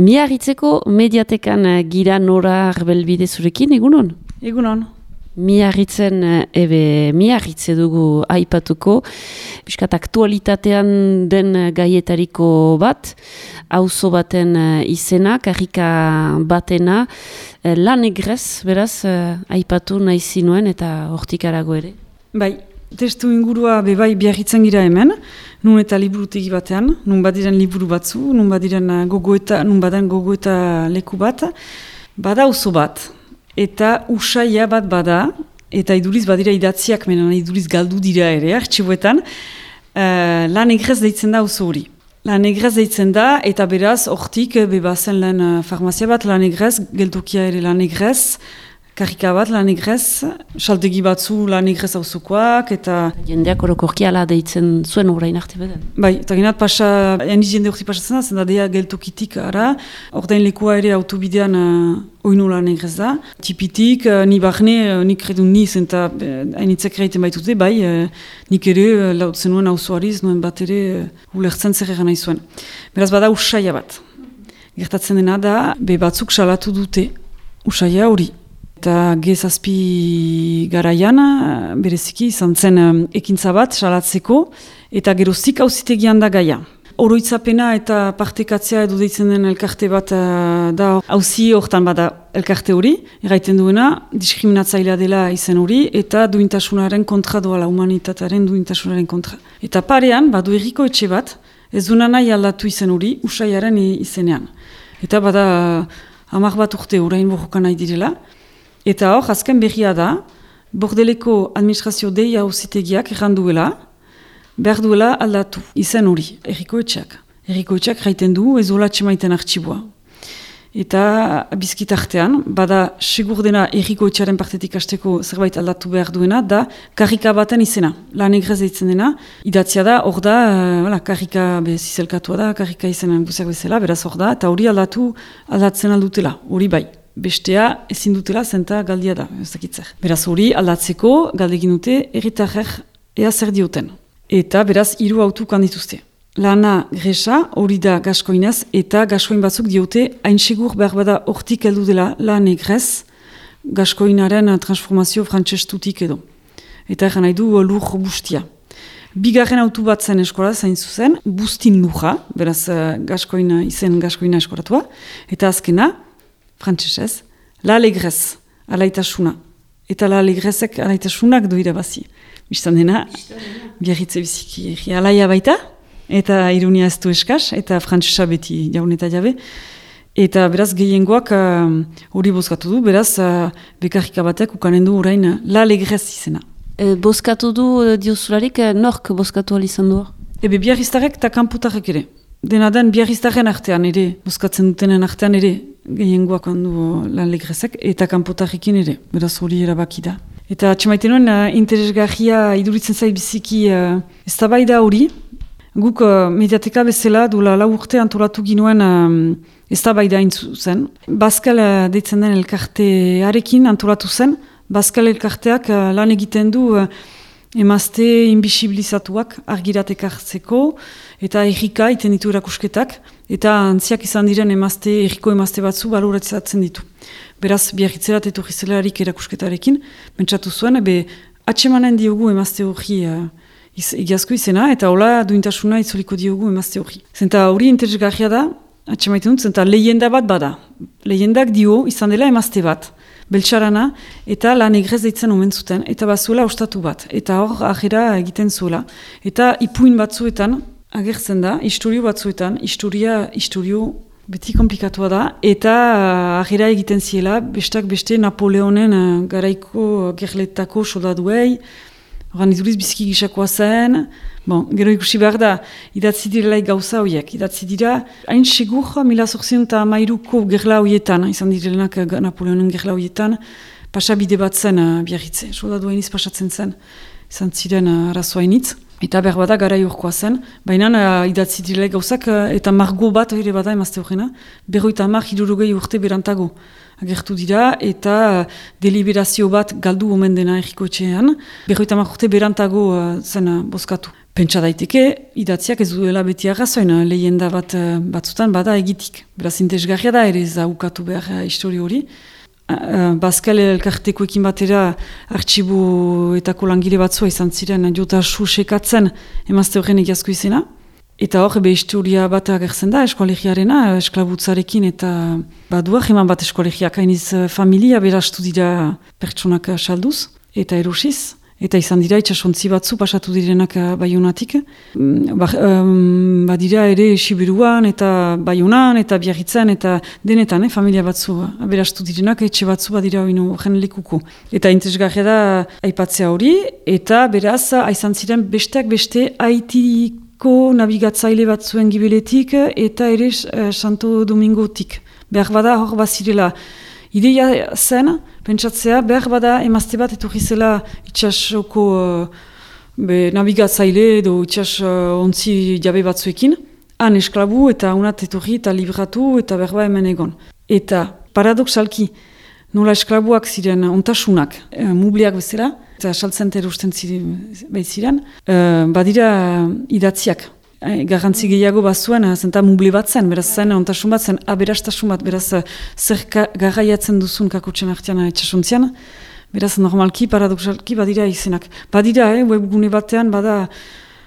Miarritzeko mediatekan gira Nora Arbelbide zurekin, egunon? Egunon. Miarritzen, miarritze dugu aipatuko, piskat aktualitatean den gaietariko bat, auzo baten izena, karrika batena, lan egrez, beraz, aipatu nahi zinuen eta hortik arago ere. Bai, testu ingurua bebai biarritzen gira hemen, nun eta liburutegi batean, nun badiren liburu batzu, nun baden gogoeta leku bat, bada auzo bat. Eta usaia bat bada, eta iduriz badira idatziak, menan iduriz galdu dira ere, artxiboetan, lan egrez deitzen da auzo hori. Lan egrez deitzen da, eta beraz, hortik, bebazen lan farmazia bat, lan egrez, geltokia ere lan egrez, karrika bat lan egrez, saltegi batzu lan egrez auzokoak, eta... Jendeak orokorki ala deitzen zuen orain arte beden. Bai, eta genat pasa, eniz jende horti pasatzen da, zenda dea geltokitik ara, ordain lekua ere autobidean oinu lan egrez da. Tipitik, ni barne, nik redun niz, eta hainitzek reiten baitute, bai, nik ere lautzen nuen auzoariz, nuen bat ere ulertzen zer egan nahi zuen. Beraz, bada usaia bat. Gertatzen dena da, be batzuk salatu dute usaia hori. Eta gezazpi garaian, bereziki, izan zen ekintza bat, salatzeko, eta geroztik auzitegian da gaia. Oroitzapena eta partekatzea edo deitzen den elkarte bat da auzi hortan bada elkarte hori, erraiten duena, diskriminatzailea dela izen hori, eta duintasunaren kontra doala, humanitatearen duintasunaren kontra. Eta parean, badu herriko etxe bat, ez duna nahi aldatu izen hori, usaiaren izenean. Eta bada 10 bat urte orain borroka nahi direla, eta hor, azken berria da, Bordeleko administrazio deia auzitegiak erranduela, behar duela aldatu, izen hori, herriko etxeak. Herriko etxeak jaiten du, ez hola txemaiten artxiboa. Eta bizkit artean, bada segur dena herriko etxearen partetik hasteko zerbait aldatu behar duena, da karrika baten izena, lan egrez deitzen dena, idatzia da, hor da, karrika zizelkatua da, karrika izenan guziak bezala, beraz hor da, eta hori aldatzen aldutela, hori bai. Bestea ezin dutela zenta galdia da, ez dakitzer. Beraz hori aldatzeko galdegin dute herritarrek ea zer dioten. Eta beraz 3 autuk handituzte. Lana gresa hori da gaskoinez eta gaskoin batzuk diote hain segur behar bada hortik heldu dela lan egrez gaskoinaren transformazio frantsestutik edo. Eta egan nahi du lur bustia. Bigarren autu bat zen eskola zain zuzen, bustin lurra, beraz gaskoina eskoratua, eta azkena, frantsesez, la alegrez, alaitasuna. Eta la alegrezek alaitasunak doira bazi. Bistan dena, biarritze biziki alaia baita, eta ironia ez du eskaz, eta frantsesa beti jaun eta jabe. Eta beraz gehiengoak hori bozkatu du, beraz bekarrika batek ukanen du orain la alegrez izena. Bozkatu du diozularik, nork bozkatu izan du? Ebe biarriztarek eta kanputarek ere. Dena den biarriztaren artean ere, bozkatzen dutenen artean ere, gehiengoak handu lan legrezek, eta kanpotarrekin ere, beraz hori erabaki da. Eta atxemaiten nuen, interesgarria iduritzen zait biziki eztabaida hori, guk mediateka bezala duela 4 urte antolatu ginuen eztabaida intzu zen. Bazkal deitzen den elkartearekin antolatu zen, Bazkal elkarteak lan egiten du emazte inbisibilizatuak argiratek hartzeko, eta errika iten ditu erakusketak, eta antziak izan diren erriko emazte batzu baloratzatzen ditu. Beraz, biarritzerat etorri zelarik erakusketarekin, pentsatu zuen, atsemanen diogu emazte hori egiazko izena, eta hola duintasuna itzuliko diogu emazte hori. Zenta hori interesgarria da, atsemaiten dut, zenta lehenda bat bada. Lehendak dio izan dela emazte bat. Beltxarana, eta lan egrez deitzen omen zuten, eta bazuela ostatu bat, eta hor ajera egiten zuela. Eta ipuin batzuetan, agertzen da, historio batzuetan, historio beti komplikatua da, eta ajera egiten ziela, bestak beste Napoleonen garaiko gerletako soldaduei, horan iduriz biziki gisakoa zen, gero ikusi behar da, idatzi direlaik gauza horiek. Idatzi dira, hain segur 1813ko gerla horietan, izan direlanak Napoleonen gerla horietan, pasabide bat zen biarritze. Soldadu hainiz pasatzen zen, izan ziren arazoainitz. Eta behar bada garai horkoa zen, baina idatzi direlaik gauzak, eta margo bat ere bada emazte horrena, 50 urte berantago. Agertu dira, eta deliberazio bat galdu omen dena erriko etxean. 50 urte berantago zen bozkatu. Pentsa daiteke, idatziak ez duela beti arrazoin, lehenda batzutan bada egitik. Beraz, interesgarria da ere ez da ukatu behar histori hori. Bazkal elkartekoekin batera artxiboetako langile batzua izan ziren jota sekatzen emazte horren egiazko izena. Eta hor, historia bat agertzen da eskolegiarena, esklabutzarekin eta baduak eman bat eskolegiak hainiz familia berastu dira pertsonak salduz eta erosiz. Eta izan dira itxasontzi batzu pasatu direnak Baionatik. Badira ere Siberuan eta Baionan eta Biarritzen eta denetan, familia batzu aberastu direnak, etxe batzu badira oinu jenelikuko. Eta interesgarria da aipatzea hori, eta beraz, aizan ziren besteak beste Haitiko nabigatzaile batzuen gibeletik eta ere Santo Domingotik. Behar bada hor bazirela. Ideia zen, pentsatzea, behar bada emazte bat etorri zela itxasoko nabigatzaile edo itxas ontzi jabe batzuekin, han esklabu eta unat etorri eta libratu eta behar bada hemen egon. Eta paradoxalki, nola esklabuak ziren ontasunak, mubliak bezala, eta saltzen terusten ziren, badira idatziak. Garrantzi gehiago bazuen, zenta muble bat zen, beraz zen, ontasun bat zen, aberastasun bat, beraz zer garraiatzen duzun kakotxen artean etxasuntzian, beraz normalki, paradoxalki, badira izenak. Badira, webgune batean, bada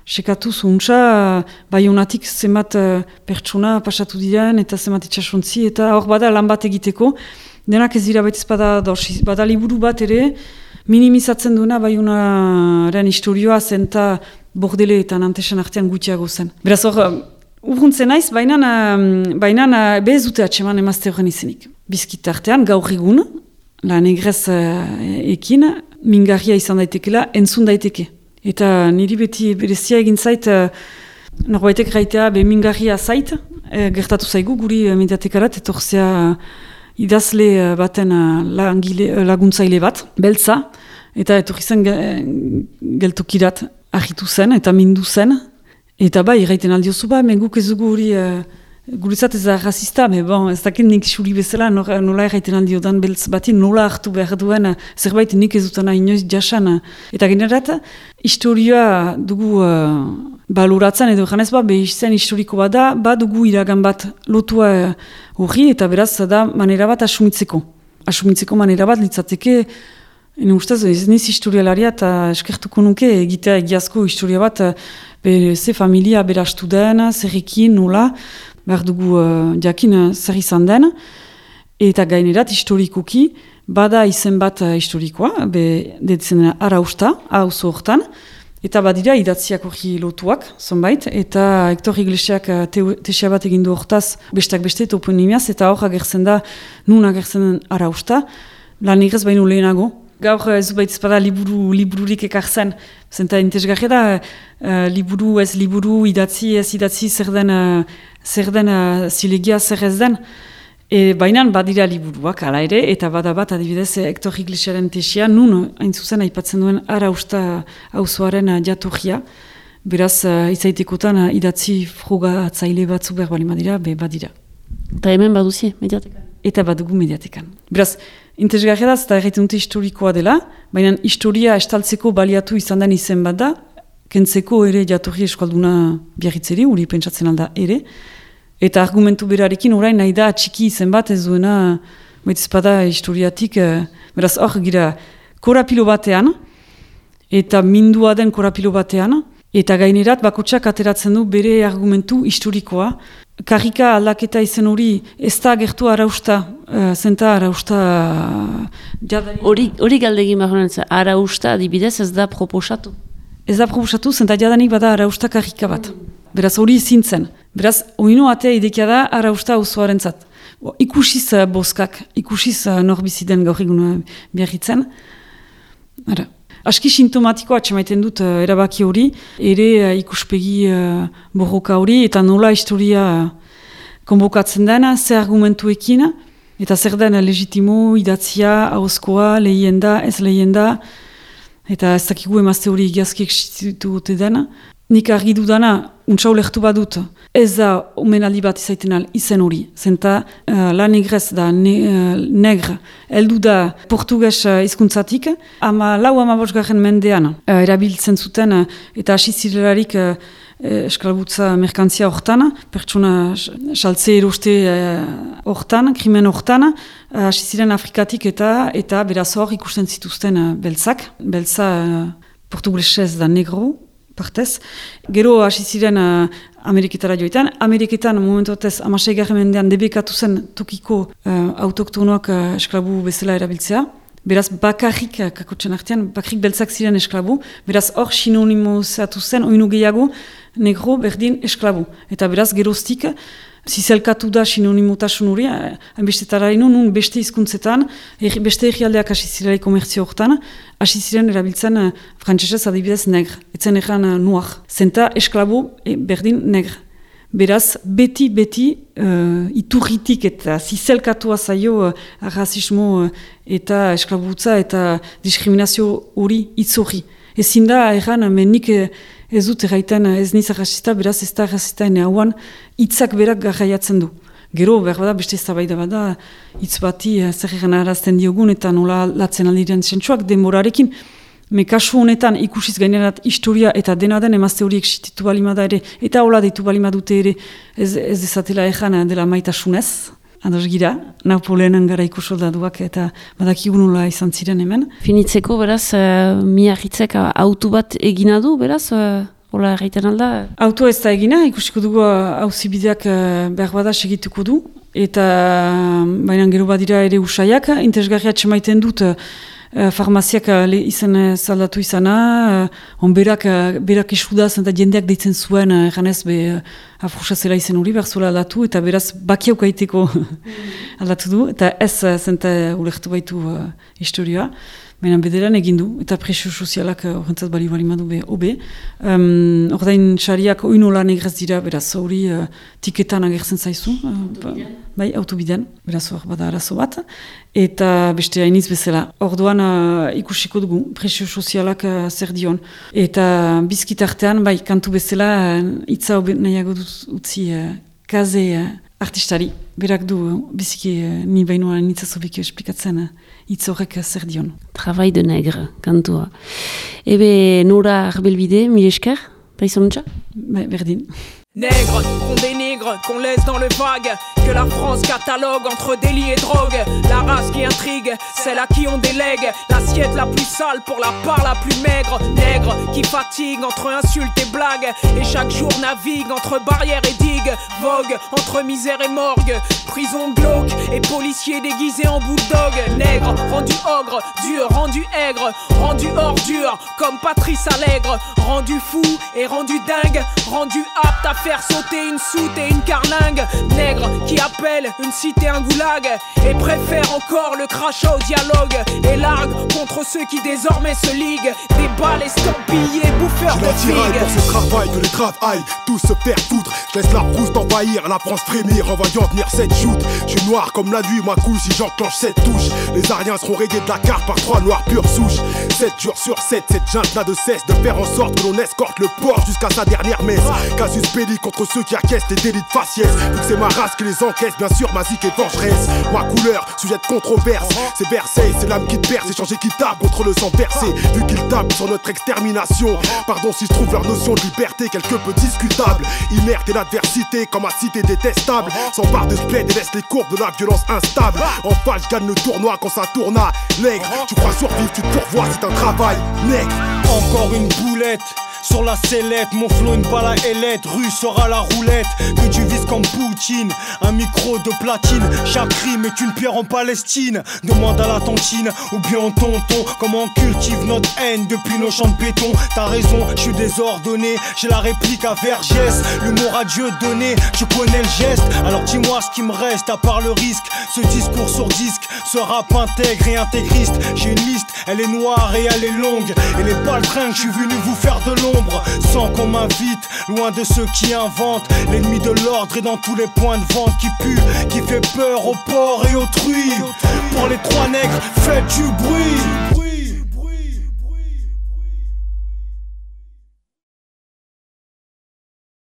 sekatu zuntza, Baionatik zenbat pertsona pasatu diren, eta zenbat etxasuntzi, eta hor bada lan bat egiteko, denak ez dira baitiz bada liburu bat ere, minimizatzen duena Baionaren historioa zenta Bordele eta Nantesen artean gutxiago zen. Beraz hor, urruntzen naiz, baina bez dute atseman emazte horren izenik. Bizkit artean, gaur egun, la negrez ekin, mingarria izan daitekela, entzun daiteke. Eta niri beti berezia egin zait, norbaitek raitea mingarria zait, gertatu zaigu guri mediatekarat, etorzea idazle baten laguntzaile bat, beltza, eta etorri zen geltokirat, ahitu zen eta mindu zen, eta iraiten aldiozu guk ez dugu hori, guretzat ez da rasista, ez dakit nik xuri bezala, nola iraiten aldiodan beltz bati, nola hartu behar duen, zerbait nik ez dutana inoiz jasan. Eta generat, historioa dugu baloratzen, edo janez behizen historiko bada, dugu iragan bat lotua hori, eta beraz da manera bat asumitzeko. Asumitzeko manera bat litzateke, ene ustez, ez niz historialaria eta eskertuko nuke egitea egiazko historia bat ze familia berastu den, zerrekin, nola, behar dugu jakin zer izan den, eta gainerat historikoki, bada izen bat historikoa, detzen dena Arausta, auzo hortan, eta badira idatziak hori lotuak, zonbait, eta Hector Iglesiak tesia bat egindu hortaz, besteak beste toponimiaz, eta hor agertzen da, nun agertzen den Arausta, lan egrez baino lehenago. Gaur ez baitz bada libururik ekartzen, zenta interesgarria da, liburu ez liburu, idatzi ez idatzi zer den zilegia zer ez den. Baina badira liburuak, ala ere, eta bada bat adibidez Hector Iglesiaren tesia, nun hain zuzen aipatzen duen Arausta auzoaren jatorria. Beraz, izaitekotan idatzi frogatzaile batzu behar bali badira, badira. Eta hemen baduzie, mediatekan? Eta badugu mediatekan. Beraz, interesgarria da, eta erraiten dute historikoa dela, baina historia estaltzeko baliatu izan den izen bat da, kentzeko ere jatorri eskalduna Biarritzeri, uri pentsatzen alda ere, eta argumentu berarekin orain nahi da txiki izen bat ez duena, baitizpada historiatik, beraz hor gira korapilo batean, eta mindua den korapilo batean, eta gainerat bakotsak ateratzen du bere argumentu historikoa. Karrika aldaketa izen hori ez da gertu Arausta, zenta Arausta jadanik. Hori galdegin bahonen, Arausta adibidez ez da proposatu? Ez da proposatu, zenta jadanik bada Arausta karrika bat. Beraz hori zintzen. Beraz, oino atea idekia da Arausta auzoaren zat. Ikusiz boskak, ikusiz norbiziden gaur egun Biarritzen. Aski sintomatikoa atxemaiten dut erabaki hori, ere ikuspegi borroka hori, eta nola historia konbokatzen dena, ze argumentuekin, eta zer den legitimo, idatzia, ahozkoa, lehienda, ez lehienda, eta ez dakigu emazte hori egiazki existitu gote dena. nik argi dudana, untsa ulertu badut, ez da omenaldi bat izaiten izen hori. Zenta La Negrez da negre, heldu da portugues hizkuntzatik, 14. mendean erabiltzen zuten eta hasi zirelarik esklabutza merkantzia hortan, pertsona saltze eroste hortan, krimen hortan, hasi ziren Afrikatik eta beraz hor ikusten zituzten beltzak. Beltza portuguesez da negro, partez. Gero hasi ziren Ameriketara joetan. Ameriketan momentotez 16. mendean debekatu zen tokiko autoktonoak esklabu bezala erabiltzea. Beraz, bakarrik, kakotxen artean, bakarrik beltzak ziren esklabu. Beraz, hor sinonimozatu zen, oinu gehiago, negro berdin esklabu. Eta beraz, geroztik, zizelkatu da sinonimotasun hori, hainbestetara nun beste hizkuntzetan, beste egialdeak hasi zirelai komertzio hortan, hasi ziren erabiltzen frantsesez adibidez negre. Etzen egan noir. Zenta esklabu berdin negre. Beraz, beti iturritik eta zizelkatua zaio rasismo eta esklabutza eta diskriminazio hori hitz hori. Ezin da erran, nik ez dut erraiten ez niz arrasista, beraz ez da arrasista ene hauan hitzak berak garraiatzen du. Gero, behar bada, beste eztabaida bada, hitz bati zer egan arazten diogun eta nola latzen aldiren zentsuak denborarekin. Kasu honetan ikusiz gainerat historia eta dena den emazte horiek sititu balimada ere, eta hola deitu balimadute ere ez ezatela ejan dela maitasunez. Ados gira, Napoleonen gara ikusoldaduak eta badakigu nola izan ziren hemen. Finitzeko, beraz, Miarritzek auto bat egina du, beraz, hola erraiten alda? Auto ez da egina, ikusiko dugu auzibideak behar bada segituko du, eta baina gero badira ere usaiak, interesgarria txemaiten dut, farmaziak izan zaldatu izana, berak isudaz eta jendeak deitzen zuen eganez afrusa zela izen hori behar zuela aldatu eta beraz bakiauk aiteko aldatu du eta ez zenta ulertu baitu historioa. Baina bederan egin du, eta presio sozialak horrentzat bali madu hobe. Ordain xariak oinu lan egrez dira, beraz hori tiketan agertzen zaizu. Bai, autobidean, beraz hor bada arazo bat. Eta beste hainiz bezala. Orduan ikusiko dugu, presio sozialak zer dion. Eta bizkitartean, bai, kantu bezala, hitza hobe nahiago utzi kaze artistari. Berak du, biziki ni bainoa nitzazobik esplikatzen hitz horrek zer dion. Travail de negre, kantua. Ebe Nora Arbelbide, mil esker, paizontza? Bai, berdin. Nègres, qu'on dénigre, qu'on laisse dans le vague, que la France catalogue entre délit et drogue. La race qui intrigue, celle à qui on délègue l'assiette la plus sale pour la part la plus maigre. Nègre qui fatigue entre insultes et blagues, et chaque jour navigue entre barrières et digues. Vogue entre misère et morgue, prison glauque et policiers déguisés en bulldog. Nègre, rendu ogre, dur, rendu aigre, rendu ordure, comme Patrice Allègre. Rendu fou et rendu dingue, rendu apte à faire sauter une soute et une carlingue. Nègre qui appelle une cité un goulag et préfère encore le crachat au dialogue et largue contre ceux qui désormais se liguent des balles estampillées bouffeurs de figues. Pour ce travail que les travaillent tous se faire foutre. Je laisse la rousse envahir, la France frémir en voyant venir cette joute. Je suis noir comme la nuit, moi coule si j'enclenche cette touche. Les Ariens seront rayés de la carte par 3 noirs pure souche. 7 jours sur 7, cette junte n'a de cesse de faire en sorte que l'on escorte le port jusqu'à sa dernière messe. Casus belli contre ceux qui acquiescent les délits de faciès. Vu que c'est ma race qui les encaisse, bien sûr ma zik est vengeresse. Ma couleur, sujet de controverse. C'est Versailles, c'est l'âme qui te perce. Échange équitable contre le sang versé. Vu qu'ils tapent sur notre extermination. Pardon si je trouve leur notion de liberté quelque peu discutable. Inerte et l'adversité comme ma cité détestable. S'empare de splendide et laisse les courbes de la violence instable. En face, je gagne le tournoi quand ça tourne à l'aigle. Tu crois survivre, tu te pourvois, c'est un travail nègre. Encore une boulette sur la sellette, mon flow une balle à ailette, rue sera la roulette, que tu vises comme Poutine, un micro de platine, chaque rime est une pierre en Palestine, demande à la tontine, ou bien au tonton, comment on cultive notre haine depuis nos champs de béton, t'as raison, je suis désordonné, j'ai la réplique à Vergès, l'humour à Dieu donné, je connais le geste, alors dis-moi ce qui me reste à part le risque, ce discours sur disque, ce rap intègre et intégriste, j'ai une liste, elle est noire et elle est longue, et les baltringues, je suis venu vous faire de l'ombre, sans qu'on m'invite, loin de ceux qui inventent. L'ennemi de l'ordre est dans tous les points de vente qui pue, qui fait peur aux porcs et aux truies. Pour les 3 nègres, faites du bruit.